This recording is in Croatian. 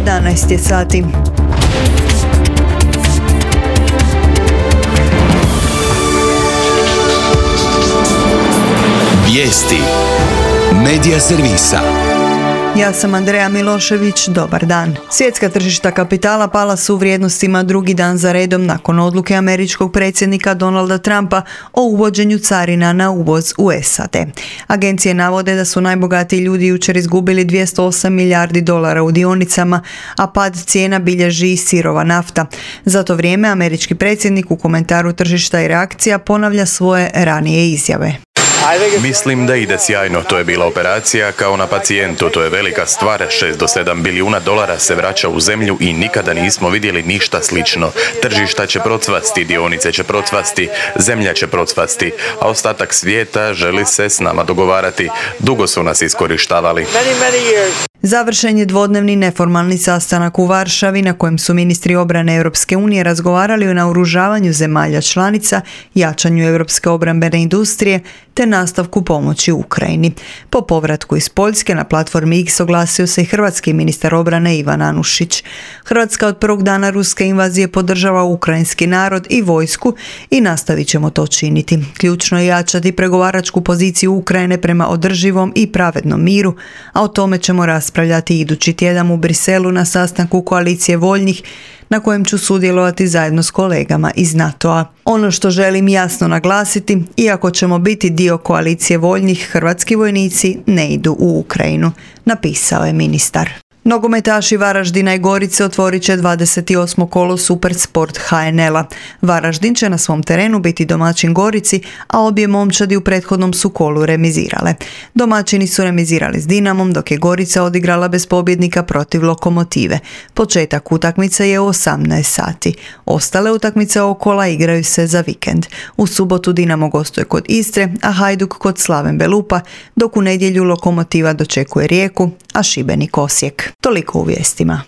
11 je sati. Vijesti Medija servisa. Ja sam Andreja Milošević, dobar dan. Svjetska tržišta kapitala pala su u vrijednostima drugi dan za redom nakon odluke američkog predsjednika Donalda Trumpa o uvođenju carina na uvoz u SAD. Agencije navode da su najbogatiji ljudi jučer izgubili 208 milijardi dolara u dionicama, a pad cijena bilježi i sirova nafta. Za to vrijeme američki predsjednik u komentaru tržišta i reakcija ponavlja svoje ranije izjave. Mislim da ide sjajno, to je bila operacija kao na pacijentu, to je velika stvar, 6 do 7 bilijuna dolara se vraća u zemlju i nikada nismo vidjeli ništa slično. Tržišta će procvasti, dionice će procvasti, zemlja će procvasti, a ostatak svijeta želi se s nama dogovarati. Dugo su nas iskorištavali. Završen je dvodnevni neformalni sastanak u Varšavi na kojem su ministri obrane Europske unije razgovarali o naoružavanju zemalja članica, jačanju europske obrambene industrije te nastavku pomoći Ukrajini. Po povratku iz Poljske na platformi X oglasio se i hrvatski ministar obrane Ivan Anušić. Hrvatska od prvog dana ruske invazije podržava ukrajinski narod i vojsku i nastavit ćemo to činiti. Ključno je jačati pregovaračku poziciju Ukrajine prema održivom i pravednom miru, a o tome ćemo raspravljati idući tjedan u Briselu na sastanku koalicije voljnih na kojem ću sudjelovati zajedno s kolegama iz NATO-a. Ono što želim jasno naglasiti, iako ćemo biti dio koalicije voljnih, hrvatski vojnici ne idu u Ukrajinu, napisao je ministar. Nogometaši Varaždina i Gorice otvorit će 28. kolo Supersport HNL-a. Varaždin će na svom terenu biti domaćin Gorici, a obje momčadi u prethodnom su kolu remizirale. Domaćini su remizirali s Dinamom, dok je Gorica odigrala bez pobjednika protiv Lokomotive. Početak utakmice je u 18 sati. Ostale utakmice okola igraju se za vikend. U subotu Dinamo gostuje kod Istre, a Hajduk kod Slaven Belupa, dok u nedjelju Lokomotiva dočekuje Rijeku, a Šibenik Osijek. Toliko u vijestima.